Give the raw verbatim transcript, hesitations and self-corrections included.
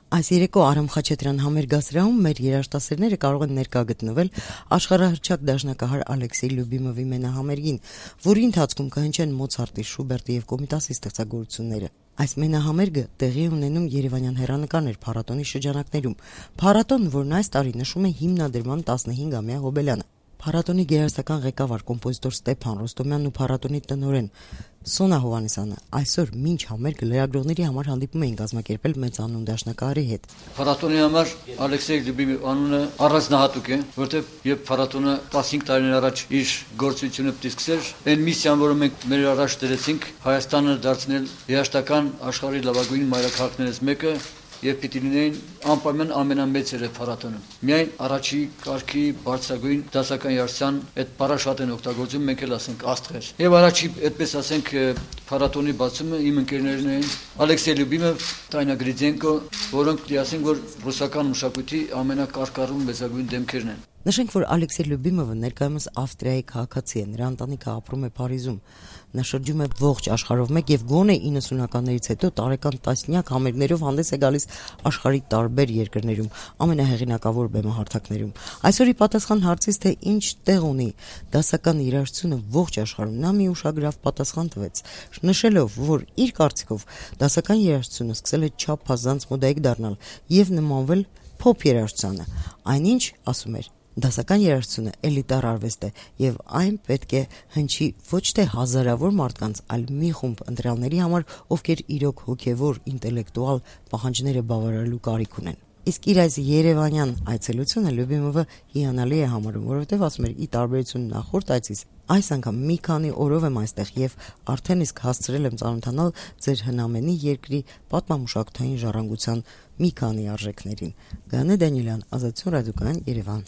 Այս երեկո Արամ Խաչատրյան համերգասրահում մեր երաժշտասերները կարող են ներկա գտնվել աշխարհահռչակ դաշնակահար Ալեքսեյ Լյուբիմովի մենահամերգին, որի ընթացքում կհնչեն Մոցարտի, Շուբերտի եւ Կոմիտասի ստեղծագործությունները։ Այս մենահամերգը տեղի է ունենում Երևանյան հեռանկարներ փառատոնի շրջանակներում։ Փառատոն, որն այս տարի նշում է հիմնադրման տասնհինգամյա հոբելյանը։ Փառատոնի գերարսական ղեկավար կոմպոզիտոր Ստեփան Ռոստոմյանն ու փառատոնի տնօրեն Սոնա Հովհաննիսյանը այսօր մինչ համերգը լրագրողների համար հանդիպում էին կազմակերպել մեծանուն դաշնակահարի հետ։ Փառատոնի համար Ալեքսեյ Լյուբիմովի անունը առանձնահատուկ է, որտեղ երբ փառատոնը տասնհինգ տարիներ առաջ իր գործունեությունը պետք է սկսեր, այն միսիան, որը մենք մեր առաջ դրեցինք, Հայաստանը դարձնել երաժշտական աշխարհի լավագույն մայրաքաղաքներից մեկը, եւ պիտի լինեին անպայման ամենամեծերը փառատոնը։ Միայն առաջի կարգի բարձրագույն դասական երաժշտության այդ բառը շատ են օգտագործում, մենք էլ ասենք աստղեր։ Եվ առաջի այդպես ասենք փառատոնի բացումը իմ ընկերներն էին Ալեքսեյ Լյուբիմով, Տանյա Գրիձենկո, որոնք դի ասենք որ ռուսական մշակույթի ամենակարգառուն մեծագույն դեմքերն են։ Նշենք, որ Ալեքսեյ Լյուբիմովը ներկայումս Ավստրիայի քաղաքացի է, նրա ընտանիքը ապրում է Փարիզում։ Նա շրջում է ողջ աշխարհով մեկ եւ գոնե իննսունականներից հետո տարեկան տասնյակ համերգներով հանդես է գալիս աշխարհի տարբեր երկրներում, ամենահեղինակավոր բեմահարթակներում։ Այսօրի պատասխան հարցից, թե ինչ տեղ ունի դասական երաժշտությունը ողջ աշխարհում, նա մի ուշագրավ պատասխան տվեց, նշելով, որ իր կարծիքով դասական երաժշտությունը սկսել է չափազանց մոդայիկ դառնալ եւ նմանվել փոփ երաժշտությանը։ Այնինչ, ասում էր, դասական երաժշտությունը էլիտար արվեստ է եւ այն պետք է հնչի ոչ թե հազարավոր մարդկանց, այլ մի խումբ ընտրյալների համար, ովքեր իրոք հոգեվոր, ինտելեկտուալ պահանջները բավարարելու կարիք ունեն։ Իսկ իր այս երևանյան այցելությունը Լյուբիմովը հիանալի է համարում, որովհետև ասում էր՝ ի տարբերություն նախորդ այցից, այս անգամ մի քանի օրով եմ այստեղ եւ արդեն իսկ հասցրել եմ ծանոթանալ ձեր հնամենի երկրի պատմամշակութային ժառանգության մի քանի արժեքներին։ Գաներ Դանիելյան, Ազատություն ռադիոկայան, Երևան։